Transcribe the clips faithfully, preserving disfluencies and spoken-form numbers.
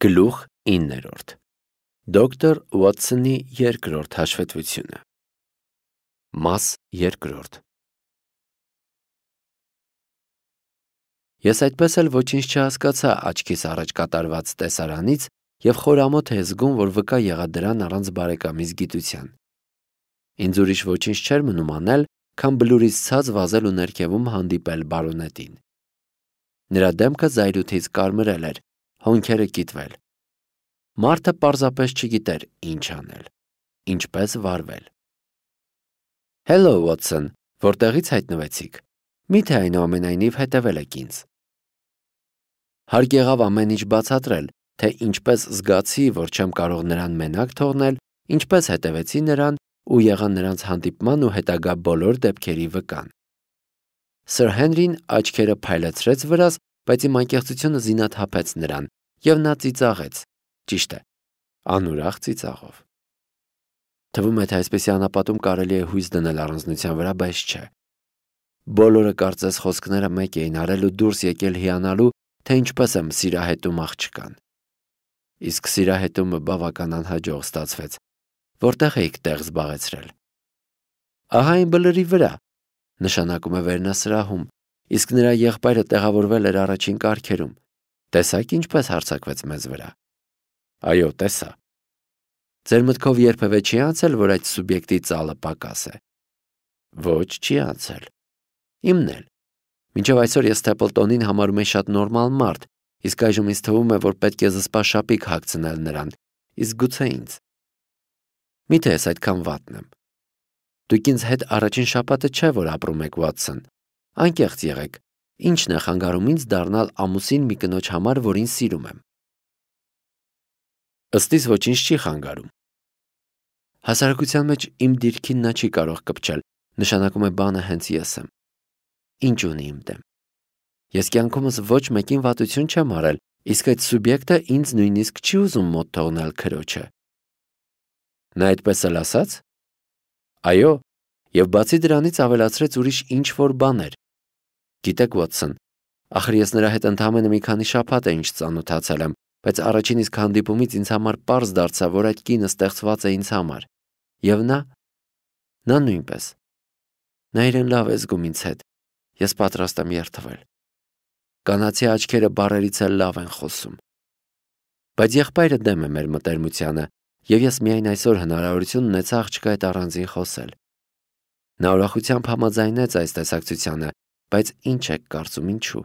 Գլուխ իններորդ Դոկտոր Ուոթսոնի երկրորդ հաշվետվությունը Մաս երկրորդ Ես այդպես էլ ոչինչ չհասկացա աչքիս առաջ կատարված տեսարանից և խորամոտ է զգում, որ վկա եղա դրան առանց բարեկամիս գիտության։ Ինձ ուրիշ ոչինչ չէր մնում անել, քան բլուրից ցած վազել ու ներքևում հանդիպել բարոնետին։ Նրա դեմքը զայրույթից կարմրել էր, հոնքերը կիտվել։ Մարդը պարզապես չգիտեր ինչ անել, ինչպես վարվել։ Hello, Watson, որտեղից հայտնվեցիք։ Միթե այնուամենայնիվ հետևել եք ինձ։ Հարկ եղավ ամեն ինչ բացատրել, թե ինչպես զգացի, որ չեմ կարող նրան մենակ թողնել, ինչպես հետևեցի նրան ու եղա նրանց հանդիպման ու հետագա բոլոր դեպքերի վկան։ Սըր Հենրին աչքերը փայլեցրեց վրաս, բայց իմ անկեղծությունը զինաթափեց նրան, և նա ծիծաղեց, ճիշտ է, անուրախ ծիծաղով։ Թվում է, թե այսպիսի անապատում կարելի է հույս դնել առանձնության վրա, բայց չէ։ Բոլորը կարծես խոսքները մեկ էին արել ու դուրս եկել հիանալու, թե ինչպես եմ սիրահետում աղջկան։ Իսկ սիրահետումը բավական անհաջող ստացվեց, որտեղ էիք տեղ զբաղեցրել։ Ահա այն բլրի վրա, նշանակում է վերնասրահում, իսկ նրա եղբայրը տեղավորվել էր առաջին կարգերում։ Տեսա՞ք ինչպես հարձակվեց մեզ վրա։ Այո, տեսա։ Ձեր մտքով երբևէ չի անցել, որ այդ սուբյեկտի ծալը պակաս է։ Ոչ, չի անցել։ Իմն էլ։ Մինչև այսօր ես Սթեփլտոնին համարում եմ շատ նորմալ մարդ, իսկ այժմ ինձ թվում է, որ պետք է զսպա շապիկ հագցնել նրան, իսկ գուցե ինձ։ Միթե ես այդքան վատն եմ։ Դուք ինձ հետ առաջին շաբաթը չէ, որ ապրում եք, Վաթսոն։ Անկեղծ եղեք, ինչն է խանգարում ինձ դառնալ ամուսին մի կնոջ համար, որին սիրում եմ։ Ըստ իս ոչինչ չի խանգարում։ Հասարակության մեջ իմ դիրքին նա չի կարող կպչել, նշանակում է բանը հենց ես եմ։ Ինչ ունի իմ դեմ։ Ես կյանքումս ոչ մեկին վատություն չեմ արել, իսկ այդ սուբյեկտը ինձ նույնիսկ չի ուզում մոտ թողնել քրոջը։ Նա այդպես էլ ասաց։ Այո, և բացի դրանից ավելացրեց ուրիշ ինչ-որ բաներ։ Գիտեք, Վոթսոն, ախր ես նրա հետ ընդամենը մի քանի շաբաթ է ինչ ծանոթացել եմ, բայց առաջին իսկ հանդիպումից ինձ համար պարզ դարձավ, որ այդ կինը ստեղծված է ինձ համար։ Եվ նա, նա նույնպես։ Նա իրեն լավ է զգում ինձ հետ, ես պատրաստ եմ երդվել։ Կանացի աչքերը բառերից էլ լավ են խոսում։ Բայց եղբայրը դեմ է մեր մտերմությանը, և ես միայն այսօր հնարավորություն ունեցա աղջկա հետ առանձին խոսել։ Նա ուրախությամբ համաձայնեց այս տեսակցությանը, բայց ինչ եք կարծում ինչու։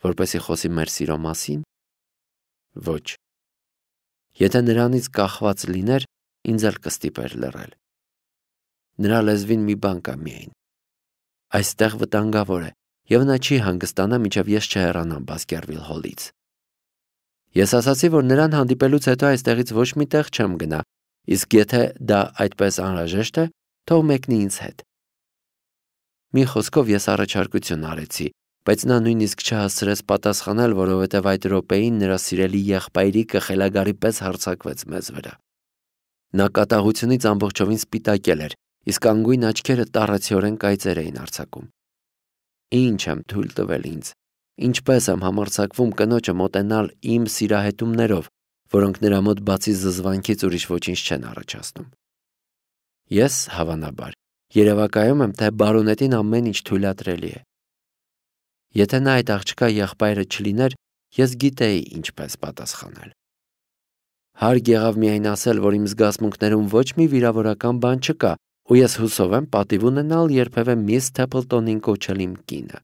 Որպեսզի խոսի մեր սիրո մասին։ Ոչ։ Եթե նրանից կախված լիներ, ինձ էլ կստիպեր լռել։ Նրա լեզվին մի բան կա միայն։ Այստեղ վտանգավոր է, և նա չի հանգստանա, մինչև ես չհեռանամ Բասկերվիլ Հոլից։ Ես ասացի, որ նրան հանդիպելուց հետո այստեղից ոչ մի տեղ չեմ գնա, իսկ եթե դա այդպես անհրաժեշտ է, թող մեկնի ինձ հետ։ Մի խոսքով ես առաջարկություն արեցի, բայց նա նույնիսկ չհասցրեց պատասխանել, որովհետև այդ րոպեին նրա սիրելի եղբայրիկը խելագարի պես հարձակվեց մեզ վրա։ Նա կատաղությունից ամբողջովին սպիտակել էր, իսկ անգույն աչքերը տառացիորեն կայծեր էին արձակում։ Ինչ եմ թույլ տվել ինձ, ինչպես եմ համարձակվում կնոջը մոտենալ իմ սիրահետումներով, որոնք նրա մոտ բացի զզվանքից ուրիշ ոչինչ չեն առաջացնում։ Ես, հավանաբար, երևակայում եմ, թե բարոնետին ամեն ինչ թույլատրելի է։ Եթե նա այդ աղջկա եղբայրը չլիներ, ես գիտեի ինչպես պատասխանել։ Հարկ եղավ միայն ասել, որ իմ զգացմունքներում ոչ մի վիրավորական բան չկա, ու ես հուսով եմ պատիվ ունենալ երբևէ միս Սթեփլտոնին կոչել իմ կինը։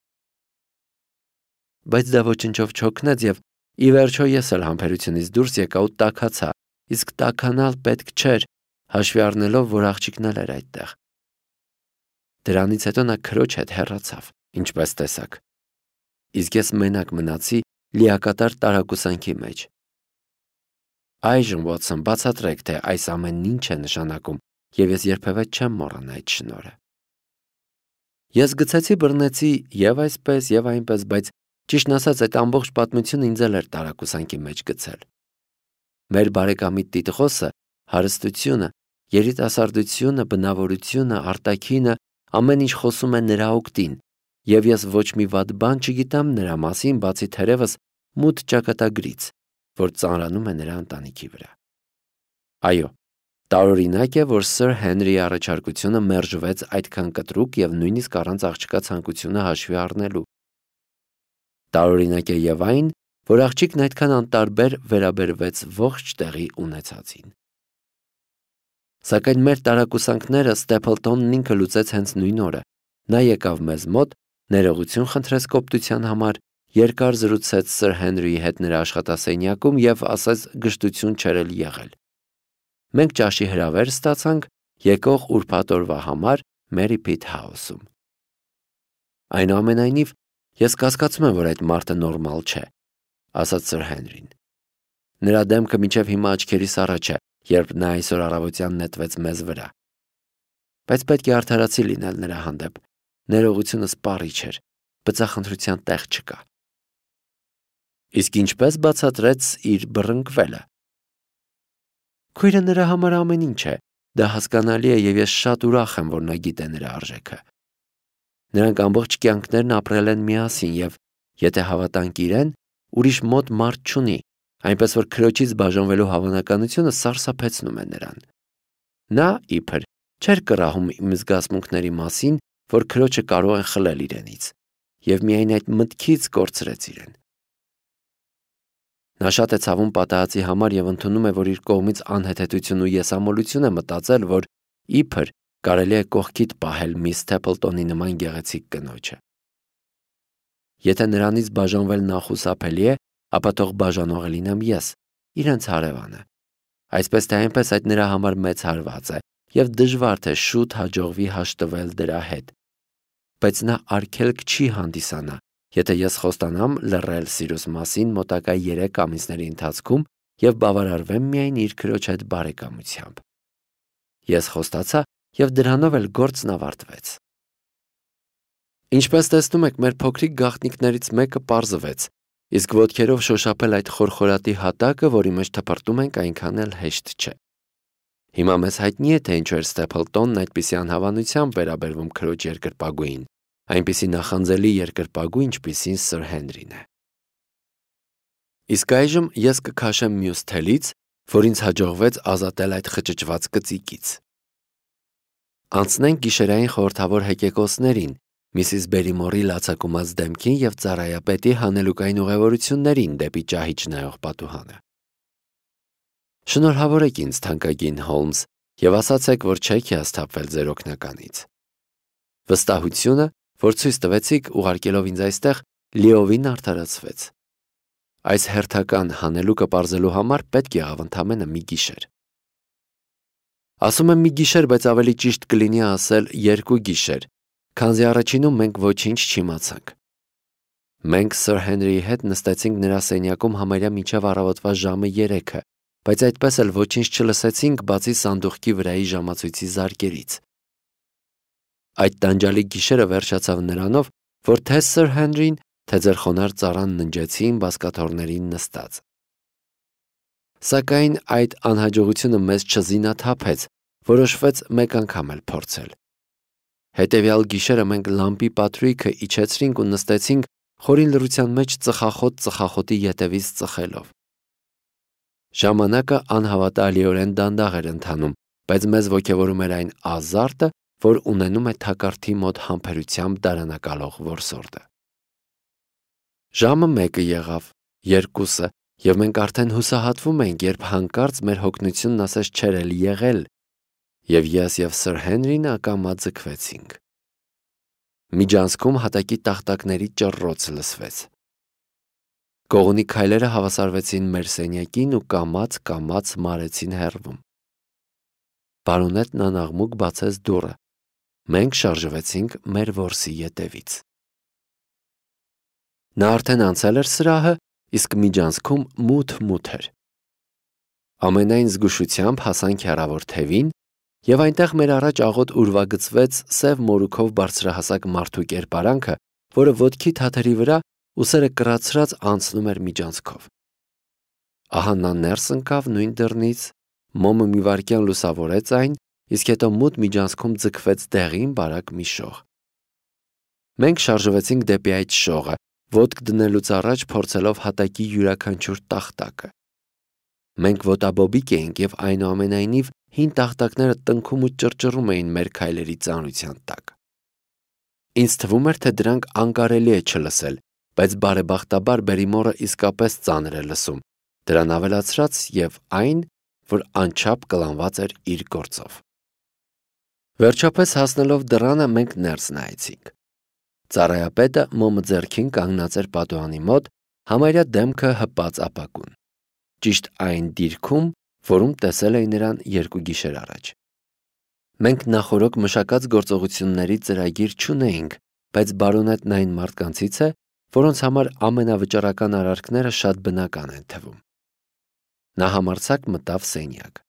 Բայց դա ոչնչով չօգնեց, և ի վերջո ես էլ համբերությունից դուրս եկա ու տաքացա, իսկ տաքանալ պետք չէր, հաշվի առնելով, որ աղջիկն էլ էր այդտեղ։ Դրանից հետո նա քրոջ հետ հեռացավ, ինչպես տեսաք։ Իսկ ես մենակ մնացի լիակատար տարակուսանքի մեջ։ Այժմ, Վոթսոն, բացատրեք, թե այս ամենն ինչ է նշանակում, և ես երբևէ չեմ մոռանա այդ շնորհը։ Ես գցեցի բռնեցի և այսպես, և այնպես, բայց ճիշտն ասած, այդ ամբողջ պատմությունը ինձ էլ էր տարակուսանքի մեջ գցել։ Մեր բարեկամի տիտղոսը, հարստությունը, երիտասարդությունը, բնավորությունը, արտաքինը, ամեն ինչ խոսում է նրա օգտին, և ես ոչ մի վատ բան չգիտեմ նրա մասին, բացի թերևս մութ ճակատագրից, որ ծանրանում է նրա ընտանիքի վրա։ Այո, տարօրինակ է, որ Սըր Հենրիի առաջարկությունը մերժվեց այդքան կտրուկ և նույնիսկ առանց աղջկա ցանկությունը հաշվի առնելու։ Տարօրինակ է և այն, որ աղջիկն այդքան անտարբեր վերաբերվեց ողջ տեղի ունեցածին։ Սակայն մեր տարակուսանքները Ստեփլտոնն ինքը լուծեց հենց նույն օրը։ Նա եկավ մեզ մոտ, ներողություն խնդրեց կոպտության համար, երկար զրուցեց Սըր Հենրիի հետ նրա աշխատասենյակում և ասաց գժտություն չէր էլ եղել։ Մենք ճաշի հրավեր ստացանք եկող ուրբաթ օրվա համար Մերի Փիթ Հաուսում։ Այնուամենայնիվ, ես կասկածում եմ, որ այդ մարդը նորմալ չէ, ասաց Սըր Հենրին։ Նրա դեմքը մինչև հիմա աչքերիս առաջ է, երբ նա այսօր առավոտյան նետվեց մեզ վրա։ Բայց պետք է արդարացի լինել նրա հանդեպ։ Ներողությունը սպառիչ էր, բծախնդրության տեղ չկա։ Իսկ ինչպես բացատրեց իր բռնկվելը։ Քույրը նրա համար ամեն ինչ է, դա հասկանալի է և ես շատ ուրախ եմ, որ նա գիտե նրա արժեքը։ Նրանք ամբողջ կյանքներն ապրել են միասին և, եթե հավատանք իրեն, ուրիշ մոտ մարդ չունի, այնպես որ քրոջից բաժանվելու հավանականությունը սարսափեցնում է նրան։ Նա, իբր, չէր կռահում իմ զգացմունքների մասին, որ քրոջը կարող են խլել իրենից, և միայն այդ մտքից կորցրեց իրեն։ Նա շատ է ցավում պատահածի համար և ընդունում է, որ իր կողմից անհեթեթություն ու եսամոլություն է մտածել, որ իբր կարելի է կողքիդ պահել միս Սթեփլտոնի նման գեղեցիկ կնոջը։ Եթե նրանից բաժանվել նախուսափելի է, ապա թող բաժանողը լինեմ ես, իրենց հարևանը։ Այսպես թե այնպես այդ նրա համար մեծ հարված է և դժվար թե շուտ հաջողվի հաշտվել դրա հետ։ Բայց նա արգելք չի հանդիսանա, եթե ես խոստանամ լռել սիրուս մասին մոտակա երեք ամիսների ընթացքում և բավարարվեմ միայն իր քրոջ հետ բարեկամությամբ։ Ես խոստացա և դրանով էլ գործն ավարտվեց։ Ինչպես տեսնում եք, մեր փոքրիկ գաղտնիքներից մեկը պարզվեց, իսկ ոտքերով շոշափել այդ խորխորատի հատակը, որի մեջ թփրտում ենք, այնքան էլ հեշտ չէ։ Հիմա մեզ հայտնի է, թե ինչու էր Ստեփլտոնն այդպիսի անհավանությամբ վերաբերվում քրոջ երկրպագուին, այնպիսի նախանձելի երկրպագու, ինչպիսին Սըր Հենրին է։ Իսկ այժմ ես կքաշեմ մյուս թելից, որ ինձ հաջողվեց ազատել այդ խճճված կծիկից։ Անցնենք գիշերային խորհրդավոր հեկեկոսներին, Միսիս Բերիմորի լացակումած դեմքին և ծառայապետի հանելուկային ուղևորություններին դեպի ճահիճ նայող պատուհանը։ Շնորհավորեք ինձ, թանկագին Հոլմս, և ասացեք, որ չեք հիասթափվել ձեր օգնականից։ Վստահությունը, որ ցույց տվեցիք ուղարկելով ինձ այստեղ, լիովին արդարացվեց։ Այս հերթական հանելուկը պարզելու համար պետք եղավ ընդամենը մի գիշեր։ Ասում եմ մի գիշեր, բայց ավելի ճիշտ կլինի ասել երկու գիշեր, քանզի առաջինում մենք ոչինչ չիմացանք։ Մենք Սըր Հենրիի հետ նստեցինք նրա սենյակում համարյա մինչև առավոտվա ժամը երեքը, բայց այդպես էլ ոչինչ չլսեցինք, բացի սանդուղքի վրայի ժամացույցի զարկերից։ Այդ տանջալի գիշերը վերջացավ նրանով, որ թե Սըր Հենրին, թե ձեր խոնարհ ծառան ննջեցին բազկաթոռներին նստած։ Սակայն այդ անհաջողությունը մեզ չզինաթափեց, որոշվեց մեկ անգամ էլ փորձել։ Հետևյալ գիշերը մենք լամպի պատրույգը իջեցրինք ու նստեցինք խորին լռության մեջ ծխախոտ ծխախոտի ետևից ծխելով։ Ժամանակը անհավատալիորեն դանդաղ էր ընթանում, բայց մեզ ոգևորում էր այն ազարտը, որ ունենում է թակարդի մոտ համբերությամբ դարանակալող որսորդը։ Ժամը մեկը եղավ, երկուսը, և մենք արդեն հուսահատվում էինք, երբ հանկարծ մեր հոգնությունն ասես չէր էլ եղել, և ես և Սըր Հենրին ակամա ձգվեցինք։ Միջանցքում հատակի տախտակների ճռռոց լսվեց։ Կողունի քայլերը հավասարվեցին մեր սենյակին ու կամաց-կամաց մարեցին հեռվում։ Պարոնետն անաղմուկ բացեց դուռը։ Մենք շարժվեցինք մեր որսի ետևից։ Նա արդեն անցել էր սրահը, իսկ միջանցքում մութ-մութ էր։ Ամենայն զգուշությամբ հասանք հեռավոր թևին, և այնտեղ մեր առաջ աղոտ ուրվագծվեց սև մորուքով բարձրահասակ մարդու կերպարանքը, որը ոտքի թաթերի վրա ուսերը կռացրած անցնում էր միջանցքով։ Ահա նա ներս ընկավ նույն դռնից, մոմը մի վայրկյան լուսավորեց այն, իսկ հետո մութ միջանցքում ձգվեց դեղին բարակ մի շող։ Մենք շարժվեցինք դեպի այդ շողը, ոտք դնելուց առաջ փորձելով հատակի յուրաքանչյուր տախտակը։ Մենք ոտաբոբիկ էինք և այնուամենայնիվ հին տախտակները տնքում ու ճռճռում էին մեր քայլերի ծանրության տակ։ Ինձ թվում էր, թե դրանք անկարելի է չլսել, բայց բարեբախտաբար Բերիմորը իսկապես ծանր է լսում, դրան ավելացրած և այն, որ անչափ կլանված էր իր գործով։ Վերջապես հասնելով դռանը մենք ներս նայեցինք։ Ծառայապետը մոմը ձեռքին կանգնած էր պատուհանի մոտ, համարյա դեմքը հպած ապակուն։ Ճիշտ այն դիրքում, որում տեսել էի նրան երկու գիշեր առաջ։ Մենք նախօրոք մշակած գործողությունների ծրագիր չունեինք, բայց բարոնետն այն մարդկանցից է, որոնց համար ամենավճռական արարքները շատ բնական են թվում։ Նա համարձակ մտավ սենյակ։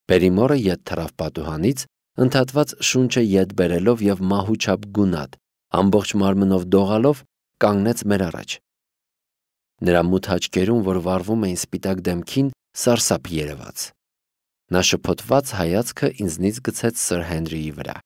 Բերիմորը ետ թռավ պատուհանից, ընդհատված շունչը ետ բերելով և մահուչափ գունատ, ամբողջ մարմնով դողալով կանգնեց մեր առաջ։ Նրա մութ աչքերում, որ վառվում էին սպիտակ դեմքին, սարսափ երևաց։ Նա շփոթված հայացքը ինձնից գցեց Սըր Հենրիի վրա։